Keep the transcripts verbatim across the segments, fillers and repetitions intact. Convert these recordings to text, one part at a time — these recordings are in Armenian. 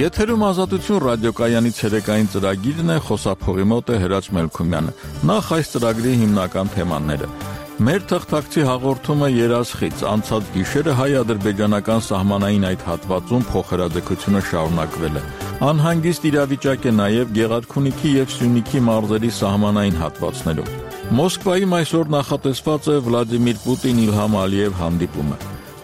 Եթերում ազատություն ռադիոկայանի ցերեկային ծրագիրն է, խոսափողի մոտ է Հրաչ Մելքումյանը։ Նախ այս ծրագրի հիմնական թեմաները։ Մեր թղթակցի հաղորդումը երազխից, անցած գիշերը հայ-ադրբեջանական սահմանային այդ հատվածում փոխհրաձգությունը շարունակվել է։ Անհանգիստ իրավիճակ է նաև Գեղարքունիքի և Սյունիքի մարզերի սահմանային հատվածներում։ Մոսկվայում այսօր նախատեսված է Վլադիմիր Պուտին-Իլհամ Ալիև հանդիպումը։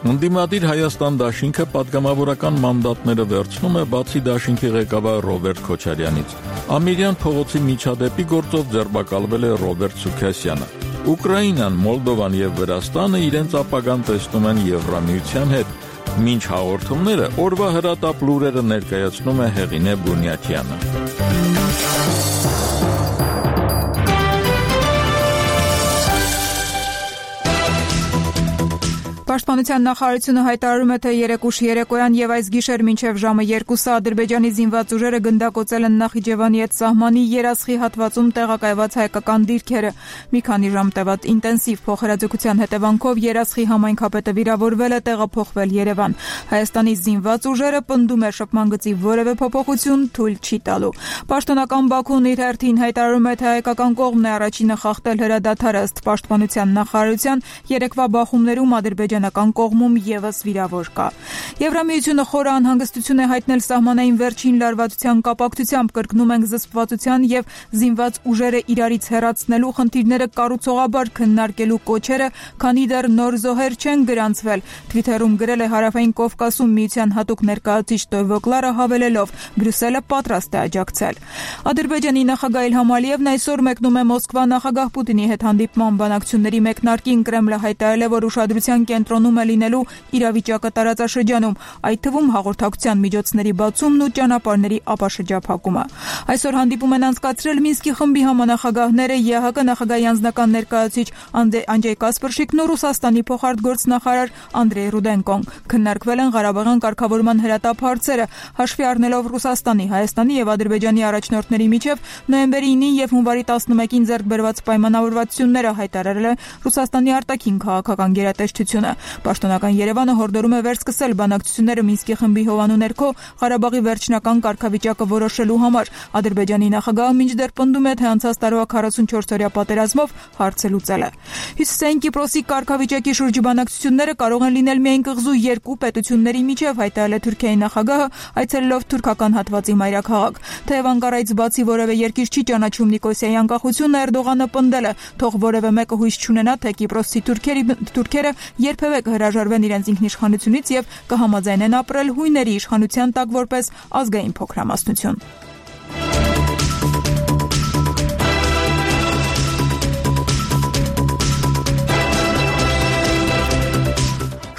Ընդդիմադիր Հայաստան դաշինքը պատգամավորական մանդատները վերցնում է բացի դաշինքի ղեկավար Ռոբերտ Քոչարյանից։ Ամիրյան փողոցի միջադեպի գործով ձերբակալվել է Ռոբերտ Սուքասյանը։ Ուկրաինան, Մոլդովան և Վրաստանը իրենց ապագան տեսնում են Եվրամիության հետ։ Մինչ հաղորդումները օրվա հրատապ լուրերը ներկայացնում է Հեղինե Բունյաթյանը։ Պաշտպանության նախարարությունը հայտարարում է, թե երեկուշ երեկոյան եւ այս գիշեր մինչեւ ժամը երկուսը Ադրբեջանի զինված ուժերը գնդակոծել են Նախիջևանի հետ սահմանի երասխի հատվածում տեղակայված հայկական դիրքերը։ Մի քանի ժամ տևած ինտենսիվ փոխհրաձգության հետևանքով երասխի համայնքապետը վիրավորվել է, տեղափոխվել Երևան։ Հայաստանի զինված ուժերը պնդում է շփման գծի որևէ փոփոխություն թույլ չի տալու։ Պաշտոնական Բաքուն իր հերթին հայտարարում է, թե հայկական կողմն է առաջինը խախտել հրադադարը ըստ Պաշտպանության նախարարության երեկվա բախումներում ադրբեջանական կողմում եւս վիրավոր կա։ Եվրամիությունը խորը անհանգստություն է հայտնել սահմանային վերջին լարվածության կապակցությամբ, կրկնում ենք զսպվածության եւ զինված ուժերը իրարից հեռացնելու խնդիրները կառուցողաբար քննարկելու կոչերը, քանի դեռ նոր զոհեր չեն գրանցվել։ Թվիթերում գրել է Հարավային Կովկասում միության հատուկ ներկայացուցիչ Տոյվոկլարը, հավելելով. Բրյուսելը պատրաստ է աջակցել։ Ադրբեջանի նախագահ Իլհամ Ալիևն այսօր մեկնում է Մոսկվա նախագահ Պուտինի հետ հանդիպման բանակցությունների մեկնարկին։ Կրեմլը հայտարարել է, որ ուշադրության կենտրոնում է լինելու իրավիճակը տարածաշրջանում, այդ թվում հաղորդակցության միջոցների բացումն ու ճանապարհների ապաշրջափակումը։ Այսօր հանդիպում են անցկացրել Մինսկի խմբի համանախագահները ԵԱՀԿ նախագահի անձնական ներկայացուցիչ Անդրեյ Կասպրշիկն ու Ռուսաստանի փոխարտգործնախարար Անդրեյ Ռուդենկոն։ Քննարկվել են Ղարաբաղյան կարգավորման հրատապ հարցերը, հաշվի առնելով Ռուսաստանի, Հայաստանի եւ Ադրբեջանի առաջնորդների միջև նոյեմբերի ինին եւ հունվարի տասնմեկին ձեռք բերված պայմանավորվածությունները, հայտարարել է Ռուսաստանի արտաքին քաղաքական գերատեսչությունը։ Պաշտոնական Երևանը հորդորում է վերսկսել բանակցությունները Մինսկի խմբի հովանու ներքո Ղարաբաղի վերջնական կարգավիճակը որոշելու համար։ Ադրբեջանի նախագահը մինչդեռ պնդում է, թե անցած տարվա քառասունչորսօրյա պատերազմով հարցը լուծել է։ Հյուսիսային Կիպրոսի կարգավիճակի շուրջ բանակցությունները կարող են լինել միայն կղզու երկու պետությունների միջև, հայտարարել է Թուրքիայի նախագահը, այցելելով թուրքական հատվածի մայրաքաղաք։ Թեև Անկարայից բացի որևէ երկիր չի ճանաչում Նիկոսիայի անկախությունը, Էրդողանը պնդել է, թող որևէ մեկը հույս չունենա, թե կիպրոսցի թուրքերը երբևէ կհրաժարվեն իրենց ինքնիշխանությունից եւ կհամաձայնեն ապրել հույների իշխանության տակ որպես ազգային փոքրամասնություն։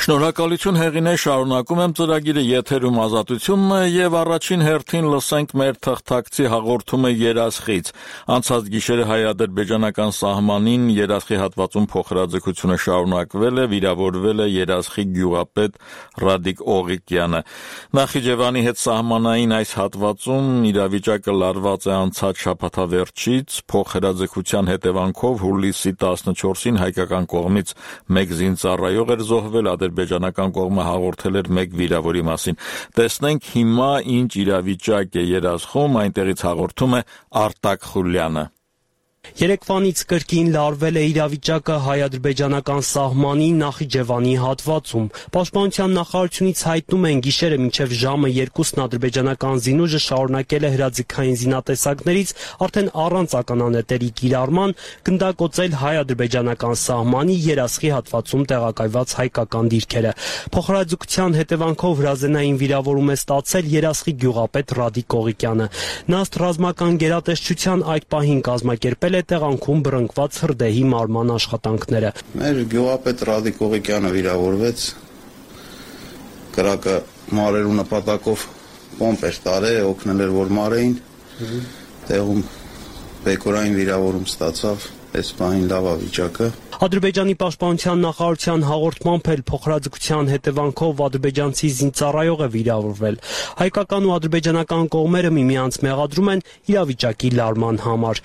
Շնորհակալություն Հեղինե, շարունակում եմ ծրագիրը, եթերում ազատությունն է եւ առաջին հերթին լսենք մեր թղթակցի հաղորդումը երասխից։ Անցած գիշերը հայ-ադրբեջանական սահմանին երասխի հատվածում փոխհրաձգությունը շարունակվել է, վիրավորվել է երասխի գյուղապետ Ռադիկ Օղիկյանը։ Նախիջևանի հետ սահմանային այս հատվածում իրավիճակը լարված է անցած շաբաթավերջից, փոխհրաձգության հետևանքով հուլիսի տասնչորսին հայկական կողմից մեկ զինծառայող էր զոհվել, ադրբեջանական կողմը հաղորդել էր մեկ վիրավորի մասին։ Տեսնենք հիմա ինչ իրավիճակ է երասխում, այնտեղից հաղորդում է Արտակ Խուլյանը։ Երեկվանից կրկին լարվել է իրավիճակը հայ-ադրբեջանական սահմանի Նախիջևանի հատվածում։ Պաշտպանության նախարարությունից հայտնում են, գիշերը մինչև ժամը երկուսն ադրբեջանական զինուժը շարունակել է հրաձգային զինատեսակներից արդեն առանց ականանետերի կիրառման գնդակոծել հայ-ադրբեջանական սահմանի երասխի հատվածում տեղակայված հայկական դիրքերը։ Փոխհրաձգության հետևանքով հրազենային վիրավորում է ստացել երասխի գյուղապետ Ռադիկ Օղիկյանը։ Նա ըստ ռազմական գերատեսչության այդ պահին կազմակերպել տեղանքում բռնկված հրդեհի մարման աշխատանքները։ Մեր գյուղապետ Ռադիկ Օղիկյանը վիրավորվեց, կրակը մարելու նպատակով պոմպ էր տարել, օգնել էր որ մարեին, տեղում բեկորային վիրավորում ստացավ, այս բանին լավ է վիճակը։ Ադրբեջանի պաշտպանության նախարարության հաղորդմամբ էլ փոխհրաձգության հետևանքով ադրբեջանցի զինծառայող է վիրավորվել։ Հայկական ու ադրբեջանական կողմերը միմյանց մեղադրում են իրավիճակի լարման համար։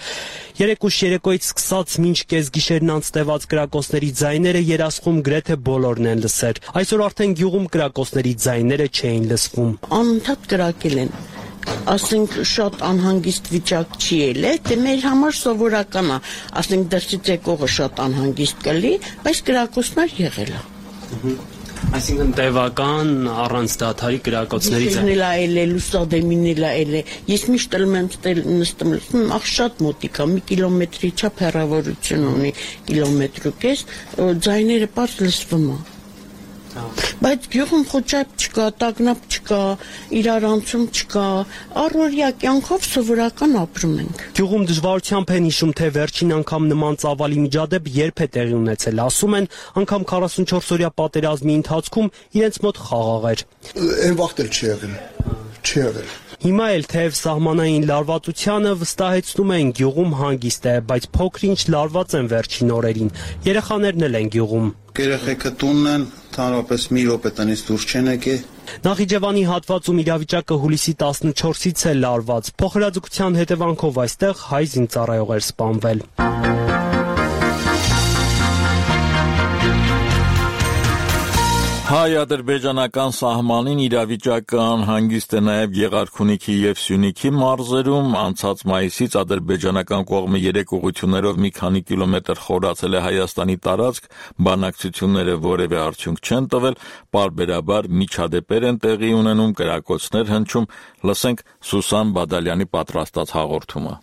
Երեկ ուշ երեկոյից սկսած մինչ կեսգիշերն անց տևած կրակոցների ձայները Երասխում գրեթե բոլորն են լսեր։ Այսօր արդեն գյուղում կրակոցների ձայները չէին լսվում։ Անընդհատ կրակել են։ Ասենք շատ անհանգիստ վիճակ չի ելել, դե մեր համար սովորական է, ասենք դրսից եկողը շատ անհանգիստ կլի, բայց կրակոցներ եղել է։ Այսինքն տևական առանց դադարի կրակոցների ձայներ ելել, լուսադեմին ելել։ Ես միշտ ելում եմ նստում, լսում ախ շատ մոտիկ է, մի կիլոմետրի չափ հեռավորություն ունի, կիլոմետր ու կես, ձայները պարզ լսվում է։ Բայց գյուղում խոճապ չկա, տագնապ չկա, իրարանցում չկա, առօրյա կյանքով սովորական ապրում ենք։ Գյուղում դժվարությամբ են հիշում, թե վերջին անգամ նման ծավալի միջադեպ երբ է տեղի ունեցել, ասում են, անգամ քառասունչորս-օրյա պատերազմի ընթացքում իրենց մոտ խաղաղ էր։ Այն վաղտ էլ չի եղել, չի եղել։ Հիմա էլ թեև սահմանային լարվածությանը վստահեցնում են գյուղում հանգիստ է, բայց փոքր-ինչ լարված են վերջին օրերին։ Երեխաներն էլ են գյուղում։ Երեխեքը տունն են, ընդհանրապես մի րոպե տնից դուրս չեն եկել։ Նախիջևանի հատվածում իրավիճակը հուլիսի տասնչորսից է լարված։ Փոխհրաձգության հետևանքով այստեղ հայ զինծառայող էր սպանվել։ Հայ-ադրբեջանական սահմանին իրավիճակը անհանգիստ է նաև Գեղարքունիքի և Սյունիքի մարզերում։ Անցած մայիսից ադրբեջանական կողմը երեք ուղղություններով մի քանի կիլոմետր խորացել է Հայաստանի տարածք, բանակցությունները որևէ արդյունք չեն տվել, պարբերաբար միջադեպեր են տեղի ունենում, կրակոցներ հնչում։ Լսենք Սուսան Բադալյանի պատրաստած հաղորդումը։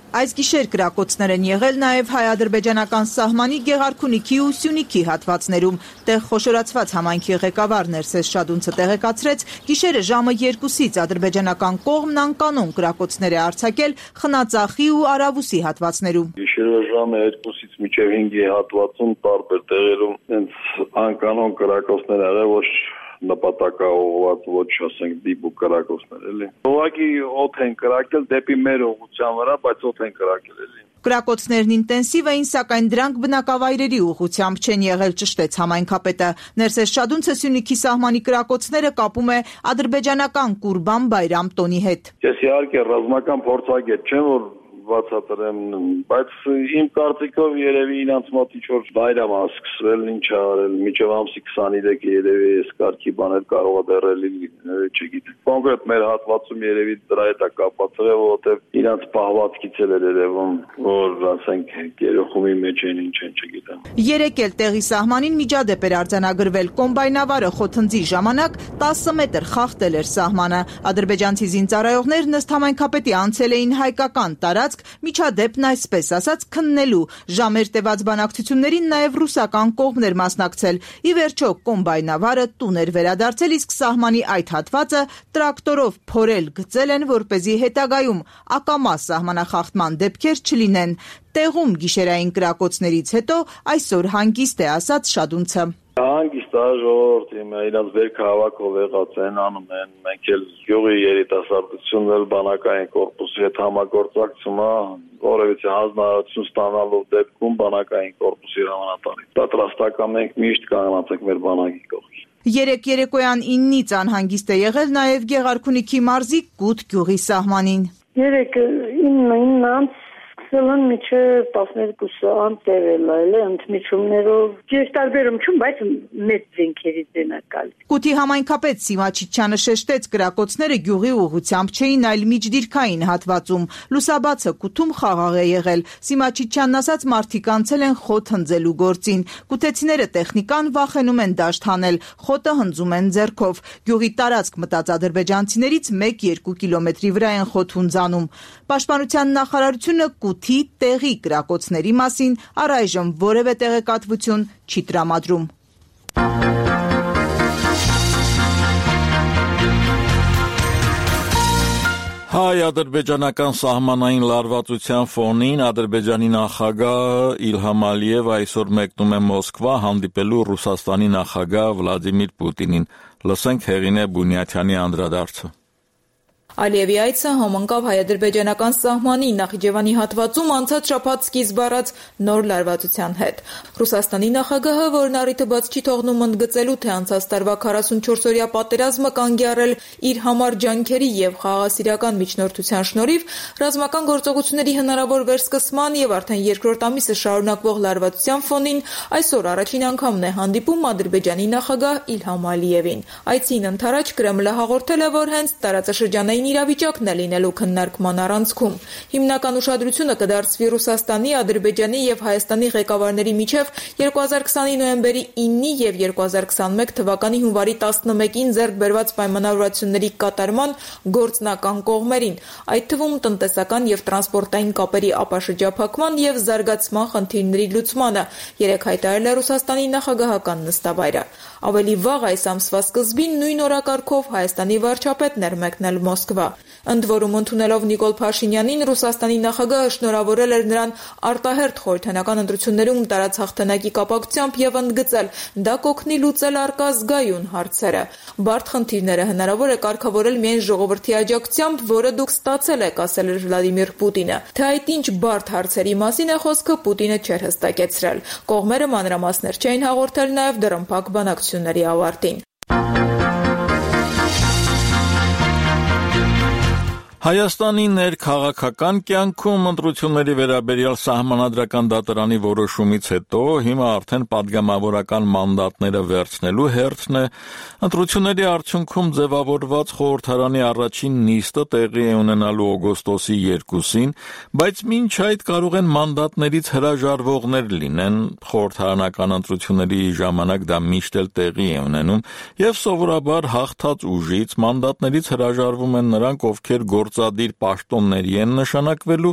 Այս գիշեր կրակոցներ են եղել նաև հայ-ադրբեջանական սահմանի Գեղարքունիքի ու Սյունիքի հատվածներում։ Տեղ խոշորացված համայնքի ղեկավար Ներսես Շադունցը տեղեկացրեց, գիշերը ժամը երկուսից ադրբեջանական կողմն անկանոն կրակոցներ է արձակել Խնածախի ու Արավուսի հատվածներում։ Գիշերը ժամը երկուսից մինչև հինգի հատվածում տարբեր տեղերում հենց անկանոն կրակոցներ եղել, ոչ նպատակաուղղված, ոչ ասենք դիպուկ կրակոցներ, էլի։ Ուղղակի օդ են կրակել դեպի մեր ուղղության վրա, բայց օդ են կրակել, էլի։ Կրակոցներն ինտենսիվ էին, սակայն դրանք բնակավայրերի ուղղությամբ չեն եղել, ճշտեց համայնքապետը։ Ներսես Շադունցը Սյունիքի սահմանի կրակոցները կապում է ադրբեջանական Կուրբան Բայրամ տոնի հետ։ Ես իհարկե ռազմական փորձագետ չեմ, որ բացատրեմ, բայց իմ կարծիքով երևի իրանց մոտ ինչ-որ բայրամ է սկսվել, ինչ արել, մինչև ամսի քսաներեքը երևի այս կարգի բաներ կարող է դեռել լինել, չգիտեմ։ Կոնկրետ մեր հատվածում երևի դրա հետ է կապված եղել, որովհետև իրանց պահվածքից էլ էր երևում, որ ասենք երախումի մեջ են, ինչ են, չգիտեմ։ Երեկ էլ տեղի սահմանին միջադեպ էր արձանագրվել, կոմբայնավարը խոթնձի ժամանակ տասը մետր խախտել էր սահմանը։ Ադրբեջանցի զինծառայողներն ըստ համայնքապետի անցել էին հայկական տարածք, միջադեպն այսպես ասած քննելու։ Ժամեր տևած բանակցություններին նաև ռուսական կողմն էր մասնակցել։ Ի վերջո կոմբայնավարը տուն էր վերադարձել, իսկ սահմանի այդ հատվածը տրակտորով փորել գծել են, որպեսզի հետագայում ակամա սահմանախախտման դեպքեր չլինեն։ Տեղում գիշերային կրակոցներից հետո այսօր հանգիստ է, ասաց Շադունցը։ Հանգիստ է ժողովուրդը, իրաց վերքը հավաքով եղած են, անում են, մենք էլ գյուղի երիտասարդությունն էլ բանակային կորպուսի հետ համագործակցում է, որևիցե հանձնարարություն ստանալու դեպքում բանակային կորպուսի հրամանատարի պատրաստական մենք միշտ կանգնած ենք մեր բանակի կողքին։ Երեք երեկոյան իննից անհանգիստ է եղել նաև Գեղարքունիքի մարզի Կուտ գյուղի սահմանին։ Երեք իննից Սելան միջև տասներկուսը անտերել այլ է, ընդմիջումներով, ես տարբերում չում, բայց մեծ զենքերից են ակալ։ Կուտի համայնքապետ Սիմա Չիչյանը շեշտեց, կրակոցները գյուղի ուղղությամբ չէին, այլ միջդիրքային հատվածում։ Լուսաբացը Կուտում խաղաղ է եղել։ Սիմա Չիչյանն ասաց, մարդիկ անցել են խոտ հնձելու գործին։ Կուտեցիները տեխնիկան վախենում են դաշտ հանել, խոտը հնձում են ձեռքով։ Գյուղի տարածք մտած ադրբեջանցիներից մեկ-երկու կիլոմետրի վրա են խոտ հունձանում։ Պաշտպանության նախարարությունը Կուտի տեղի կրակոցների մասին առայժմ որևէ տեղեկատվություն չի տրամադրում։ Հայ-ադրբեջանական սահմանային լարվածության ֆոնին Ադրբեջանի նախագահ Իլհամ Ալիևը այսօր մեկնում է Մոսկվա հանդիպելու Ռուսաստանի նախագահ Վլադիմիր Պուտինին։ Լսենք Հեղինե Բունյաթյանի անդրադարձը։ Ալիևի այցը համընկավ հայ-ադրբեջանական սահմանի Նախիջևանի հատվածում անցած շաբաթ սկիզբ առած նոր լարվածության հետ։ Ռուսաստանի նախագահը, որն առիթը բաց չի թողնում ընդգծելու, թե անցած տարվա քառասունչորսօրյա պատերազմը կանգ է առել իր համար ջանքերի եւ խաղաղասիրական միջնորդության շնորհիվ, ռազմական գործողությունների հնարավոր վերսկսման եւ արդեն երկրորդ ամիսը շարունակվող լարվածության ֆոնին այսօր առաջին անգամն է հանդիպում Ադրբեջանի նախագահ Իլհամ Ալիևին։ Այցին ընթരാճ Կրեմլը հաղորդել է, որ հենց տարածաշրջանային իրավիճակն է լինելու քննարկման առանցքում։ Հիմնական ուշադրությունը կդարձվի Ռուսաստանի, Ադրբեջանի եւ Հայաստանի ղեկավարների միջև երկու հազար քսանի նոյեմբերի ինը եւ երկու հազար քսանմեկ թվականի հունվարի տասնմեկին ձեռք բերված պայմանավորվածությունների կատարման գործնական կողմերին, այդ թվում տնտեսական եւ տրանսպորտային կապերի ապաշրջափակման եւ զարգացման խնդիրների լուծմանը, երեկ հայտարարել է Ռուսաստանի նախագահական նստավայրը։ Ավելի վաղ այս ամսվա սկզբին նույն օրակարգով Հայաստանի վարչապետն էր մեկնել Մոսկվա։ Ընդ որում, ընդունելով Նիկոլ Փաշինյանին, Ռուսաստանի նախագահը շնորհավորել էր նրան արտահերթ խորհրդանական ընտրություններում տարած հաղթանակի կապակցությամբ եւ ընդգծել, դա կօգնի լուծել առկա զգայուն հարցերը։ Բարդ խնդիրները հնարավոր է կարգավորել միայն ժողովրդի աջակցությամբ, որը դուք ստացել եք, ասել էր Վլադիմիր Պուտինը։ Թե այդ ինչ բարդ հարցերի մասին է խոսքը, Պուտինը չէր հստակեցրել։ Կողմերը մանրամասներ չէին հաղորդել նաեւ դռնփակ բանակցությունների ավարտին։ Հայաստանի ներքաղաքական կյանքում ընտրությունների վերաբերյալ սահմանադրական դատարանի որոշումից հետո հիմա արդեն պատգամավորական մանդատները վերցնելու հերթն է։ Ընտրությունների արդյունքում ձևավորված խորհրդարանի առաջին նիստը տեղի է ունենալու օգոստոսի երկուսին, բայց մինչ այդ կարող են մանդատներից հրաժարվողներ լինեն։ Խորհրդարանական ընտրությունների ժամանակ դա միշտ էլ տեղի է ունենում, եւ սովորաբար հաղթած ուժից մանդատներից հրաժարվում են նրանք, ովքեր գործադիր պաշտոնների են նշանակվելու,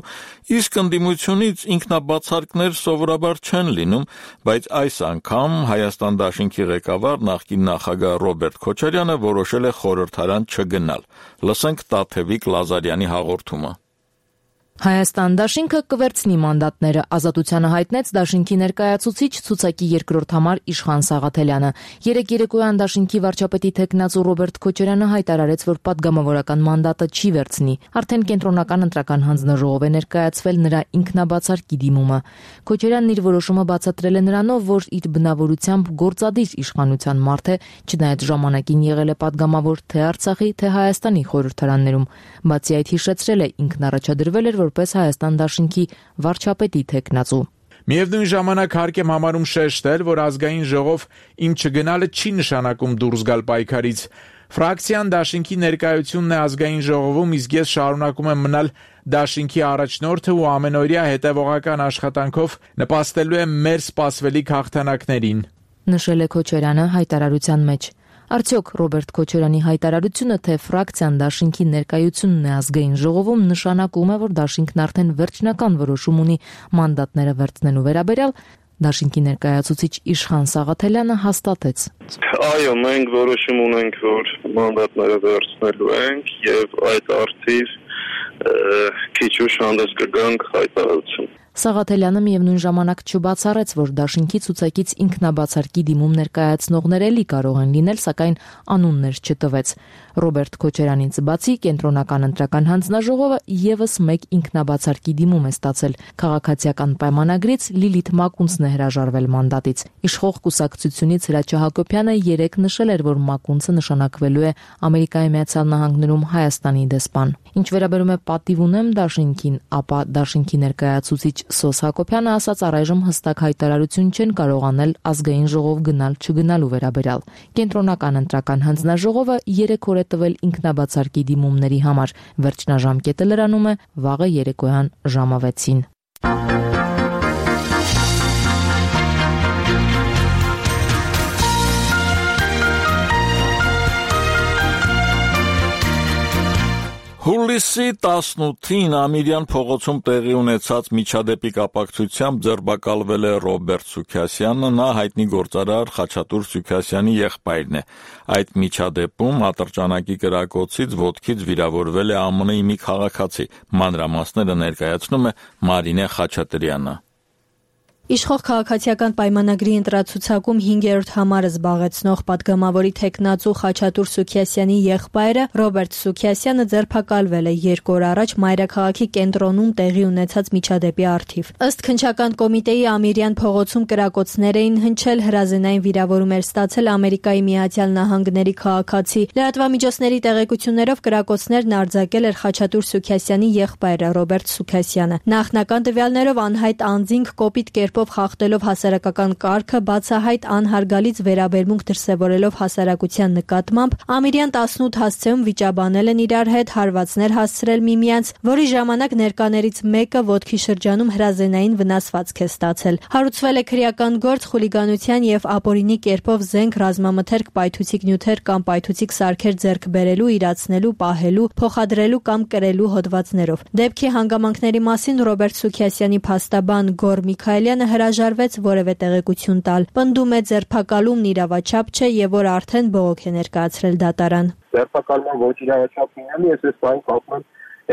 իսկ ընդդիմությունից ինքնաբացարկներ սովորաբար չեն լինում, բայց այս անգամ Հայաստան դաշինքի ղեկավար նախկին նախագահ Ռոբերտ Քոչարյանը որոշել է խորհրդարան չգնալ։ Լսենք Տաթևիկ Լազարյանի հաղորդումը։ Հայաստան դաշինքը կվերցնի մանդատները, ազատությանը հայտնեց դաշինքի ներկայացուցիչ ցուցակի երկրորդ համար Իշխան Սաղաթելյանը։ Երեկ երեկոյան դաշինքի վարչապետի թեկնածու Ռոբերտ Քոչարյանը հայտարարեց, որ պատգամավորական մանդատը չի վերցնի։ Արդեն կենտրոնական ընտրական հանձնաժողով է ներկայացվել նրա ինքնաբացարկի դիմումը։ Քոչարյանն իր որոշումը բացատրել է նրանով, որ իր բնավորությամբ գործադիր իշխանության մարդ է, չնայած ժամանակին եղել է պատգամավոր թե Արցախի, թե Հայաստանի խորհրդարաններում։ Բացի այդ, հիշեցրել է, ինքն առաջադրվել էր որպես Հայաստան դաշինքի վարչապետի թեկնածու։ Միևնույն ժամանակ հարկ եմ համարում շեշտել, որ ազգային ժողով իմ չգնալը չի նշանակում դուրս գալ պայքարից։ Ֆրակցիան դաշինքի ներկայությունն է ազգային ժողովում, իսկ ես շարունակում եմ մնալ դաշինքի առաջնորդը ու ամենօրյա հետևողական աշխատանքով նպաստելու եմ մեր սպասվելիք հաղթանակներին, նշել է Քոչարյանը հայտարարության մեջ։ Արդյոք Ռոբերտ Քոչարյանի հայտարարությունը, թե ֆրակցիան դաշինքի ներկայությունն է ազգային ժողովում, նշանակում է, որ դաշինքն արդեն վերջնական որոշում ունի մանդատները վերցնելու վերաբերյալ, դաշինքի ներկայացուցիչ Իշխան Սաղաթելյանը հաստատեց։ Այո, մենք որոշում ունենք, որ մանդատները վերցնելու ենք եւ այդ արդիվ քիչ ուշ հանդես կգանք հայտարարություն։ Սաղաթելյանը միևնույն ժամանակ չբացառեց, որ դաշինքի ցուցակից ինքնաբացարկի դիմում ներկայացնողներ էլի կարող են լինել, սակայն անուններ չտվեց։ Ռոբերտ Քոչարյանից բացի կենտրոնական ընտրական հանձնաժողովը եւս մեկ ինքնաբացարկի դիմում է ստացել։ Քաղաքացիական պայմանագրից Լիլիթ Մակունցն է հրաժարվել մանդատից։ Իշխող կուսակցությունից Հրաչյա Հակոբյանը երեկ նշել էր, որ Մակունցը նշանակվելու է Ամերիկայի Միացյալ Նահանգներում Հայաստանի դեսպան։ Ինչ վերաբերում է պատիվ ունեմ դաշինքին, ապա դաշինքի ներկայացուցիչ Սոս Հակոբյանը ասաց, առայժմ հստակ հայտարարություն չեն կարող անել ազգային ժողով գնալ չգնալու վերաբերյալ։ Կենտրոնական ընտրական հանձնաժողովը երեք օր է տվել ինքնաբացարկի դիմումների համար։ Վերջնաժամկետը լրանում է վաղը երեկոյան ժամը վեցին։ Հուլիսի տասնութին Ամիրյան փողոցում տեղի ունեցած միջադեպի կապակցությամբ ձերբակալվել է Ռոբերտ Սուքասյանը, նա հայտնի գործարար Խաչատուր Սուքասյանի եղբայրն է։ Այդ միջադեպում ատրճանակի կրակոցից ոտքից վիրավորվել է ԱՄՆ-ի մի քաղաքացի։ Մանրամասները ներկայացնում է Մարինե Խաչատրյանը։ Իշխող քաղաքացիական պայմանագրի ընտրացուցակում հինգերորդ համարը զբաղեցնող պատգամավորի թեկնածու Խաչատուր Սուքիասյանի եղբայրը Ռոբերտ Սուքիասյանը ձերբակալվել է երկու օր առաջ մայրաքաղաքի կենտրոնում տեղի ունեցած միջադեպի առթիվ։ Ըստ քննչական կոմիտեի Ամիրյան փողոցում կրակոցներ էին հնչել, հրազենային վիրավորում էր ստացել Ամերիկայի Միացյալ Նահանգների քաղաքացի։ Լրատվամիջոցների տեղեկություններով կրակոցներն արձակել էր Խաչատուր Սուքիասյանի եղբայրը Ռոբերտ Սուքիասյանը։ Նախնական տվյալներով անհայտ անձինք կոպիտ կերպով խախտելով հասարակական կարգը, բացահայտ անհարգալից վերաբերմունք դրսևորելով հասարակության նկատմամբ, Ամիրյան տասնութ հասցեում վիճաբանել են իրար հետ, հարվածներ հասցրել միմյանց, որի ժամանակ ներկաներից մեկը ոտքի շրջանում հրազենային վնասվածք է ստացել։ Հարուցվել է քրեական գործ խուլիգանության եւ ապօրինի կերպով զենք, ռազմամթերք, պայթուցիկ նյութեր կամ պայթուցիկ սարքեր ձեռք բերելու, իրացնելու, պահելու, փոխադրելու կամ կրելու հոդվածներով։ Դեպքի հանգամանքների մասին Ռոբերտ Սուքիասյանի փաստաբան Գոր Միքայելյանը հրաժարվեց որևէ տեղեկություն տալ։ Պնդում է ձերբակալումն իրավաչափ չէ եւ որ արդեն բողոք է ներկայացրել դատարան։ Ձերբակալման ոչ իրավաչափ լինելու ես այս բանը կապում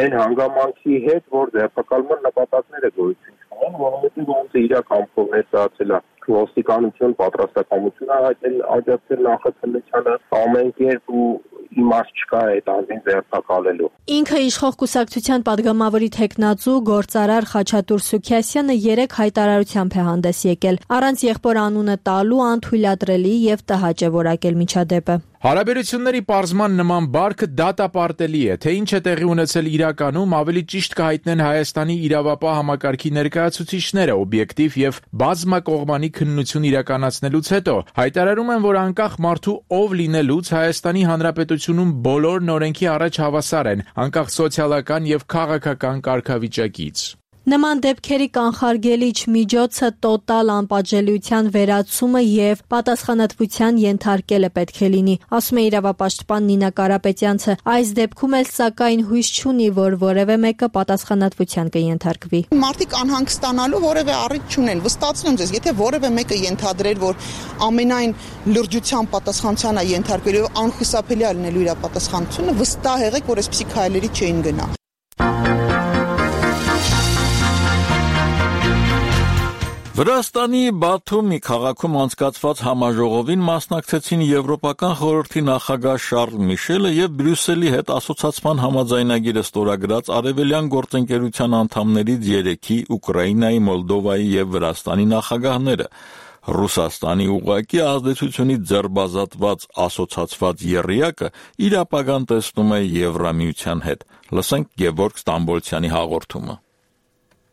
այն հանգամանքի հետ, որ ձերբակալման նպատակները գոյություն չունեն, որովհետեւ ոնց է իրական կողմից ստացել է ոստիկանություն պատրաստակամություն հայտնել աջակցել նախաձեռնությանը ամեն կերպ ու իմաստ չկա այդ անձին ձերբակալելու։ Ինքը իշխող կուսակցության падգամավորի թեկնածու գործարար Խաչատուր Սուքիասյանը երեք հայտարարությամբ է հանդես եկել։ Առանց եղբոր անունը տալու անթույլատրելի եւ տհաճ է որակել միջադեպը։ Հարաբերությունների պարզման նման բարքը դատապարտելի է, թե ինչ է տեղի ունեցել իրականում, ավելի ճիշտ կհայտնեն Հայաստանի իրավապահ համակարգի ներկայացուցիչները օբյեկտիվ եւ բազմակողմանի քննություն իրականացնելուց հետո հայտարարում են, որ անկախ մարդու ով լինելուց Հայաստանի Հանրապետությունում բոլորն օրենքի առաջ հավասար են, անկախ սոցիալական եւ քաղաքական կարգավիճակից։ Նման դեպքերի կանխարգելիչ միջոցը տոտալ անպատժելիության վերացումը եւ պատասխանատվության ենթարկելը պետք է լինի, ասում է իրավապաշտպան Նինա Կարապետյանցը։ Այս դեպքում էլ սակայն հույս չունի, որ որևէ մեկը պատասխանատվության կենթարկվի։ Մարդիկ անհանգստանալու որևէ առիթ չունեն։ Վստահեցնում եմ ձեզ, եթե որևէ մեկը ենթադրեր, որ ամենայն լրջության պատասխանատվության է ենթարկվելու, անխուսափելի է լինելու իր պատասխանատվությունը, վստահ եղեք, որ այսպիսի քայլերի չէին գնա։ Վրաստանի Բաթումի քաղաքում անցկացված համաժողովին մասնակցեցին Եվրոպական խորհրդի նախագահ Շարլ Միշելը եւ Բրյուսելի հետ ասոցիացման համաձայնագիրը ստորագրած արևելյան գործընկերության անդամներից երեքի՝ Ուկրաինայի, Մոլդովայի եւ Վրաստանի նախագահները։ Ռուսաստանի ուղղակի ազդեցությունից ձերբազատված ասոցիացված եռյակը իր ապագան տեսնում է Եվրամիության հետ։ Լսենք Գևորգ Ստամբոլցյանի հաղորդումը։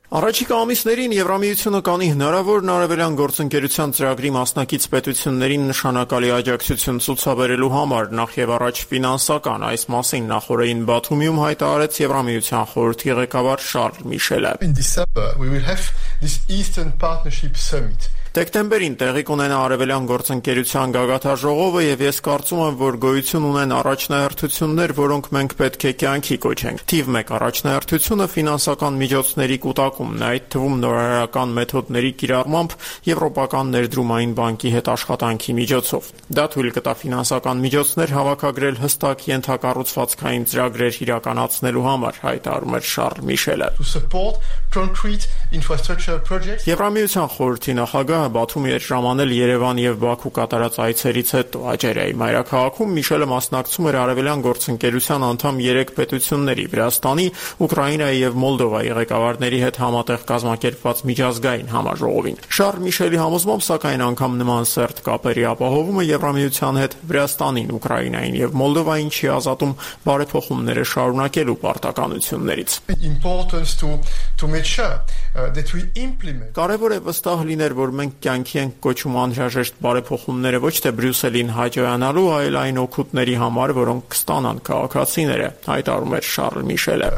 Առաջիկա ամիսներին Եվրամիությունը կանի հնարավոր արևելյան գործընկերության ծրագրի մասնակից պետություններին նշանակալի աջակցություն ցուցաբերելու համար, նախ եւ առաջ ֆինանսական, այս մասին նախորդին Բաթումիում հայտարարեց Եվրամիության խորհրդի ղեկավար Շարլ Միշելը։ In December we will have this Eastern Partnership Summit. Դեկտեմբերին տեղի կունենա արևելյան գործընկերության գագաթաժողովը եւ ես կարծում եմ, որ գոյություն ունեն առաջնահերթություններ, որոնք մենք պետք է կյանքի կոչենք։ Թիվ մեկ առաջնահերթությունը ֆինանսական միջոցների կուտակումն է, այդ թվում նորարարական մեթոդների կիրառմամբ Եվրոպական ներդրումային բանկի հետ աշխատանքի միջոցով։ Դա թույլ կտա ֆինանսական միջոցներ հավաքագրել հստակ ենթակառուցվածքային ծրագրեր իրականացնելու համար, հայտարարում էր Շարլ Միշելը։ Եվրամիության խորհրդի նախագահ Բաթումի էր ժամանել Երևան եւ Բաքու կատարած այցերից հետո Աջերիայի մայրաքաղաքում Միշելը մասնակցում էր արևելյան գործընկերության անդամ երեք պետությունների՝ Վրաստանի, Ուկրաինայի եւ Մոլդովայի ղեկավարների հետ համատեղ կազմակերպված միջազգային համաժողովին։ Շարլ Միշելի համոզմամբ, սակայն անգամ նման սերտ կապերի ապահովումը Եվրամիության հետ Վրաստանին, Ուկրաինային եւ Մոլդովային չի ազատում բարեփոխումները շարունակելու պարտականություններից։ Կարևոր է վստահ լինել, որ մենք կյանքի ենք կոչում անհրաժեշտ բարեփոխումները ոչ թե Բրյուսելին հաջողանալու, այլ այն օգուտների համար, որոնք կստանան քաղաքացիները, հայտարարում էր Շարլ Միշելը։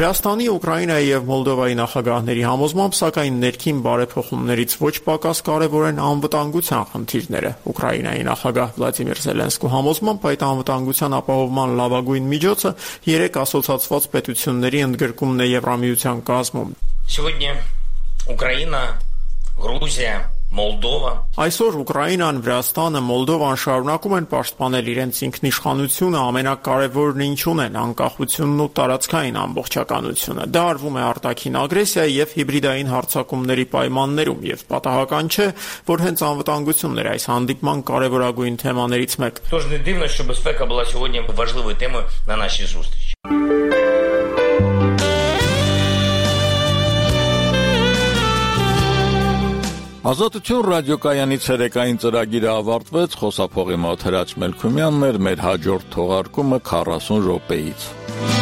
Վրաստանի, Ուկրաինայի եւ Մոլդովայի նախագահների համոզմամբ, սակայն ներքին բարեփոխումներից ոչ պակաս կարևոր են անվտանգության խնդիրները։ Ուկրաինայի նախագահ Վլադիմիր Զելենսկու համոզմամբ, այդ անվտանգության ապահովման լավագույն միջոցը երեք ասոցիացված պետությունների ընդգրկումն է Եվրամիության կազմում։ Сегодня Украина, Грузия, Մոլդովան։ Այսօր Ուկրաինան, Վրաստանը, Մոլդովան շարունակում են պաշտպանել իրենց ինքնիշխանությունը, ամենակարևորն ինչուն են անկախությունն ու տարածքային ամբողջականությունը։ Դա արվում է արտաքին ագրեսիայի եւ հիբրիդային հարձակումների պայմաններում եւ պատահական չէ, որ հենց անվտանգությունն էր այս հանդիպման կարևորագույն թեմաներից մեկ։ Тож не дивно, що безпека була сьогодні важливою темою на нашій зустрічі. Ազատություն ռադիոկայանի ցերեկային ծրագիրը ավարտվեց, խոսափողի մոտ Հրաչ Մելքումյանն էր, մեր հաջորդ թողարկումը քառասուն րոպեից։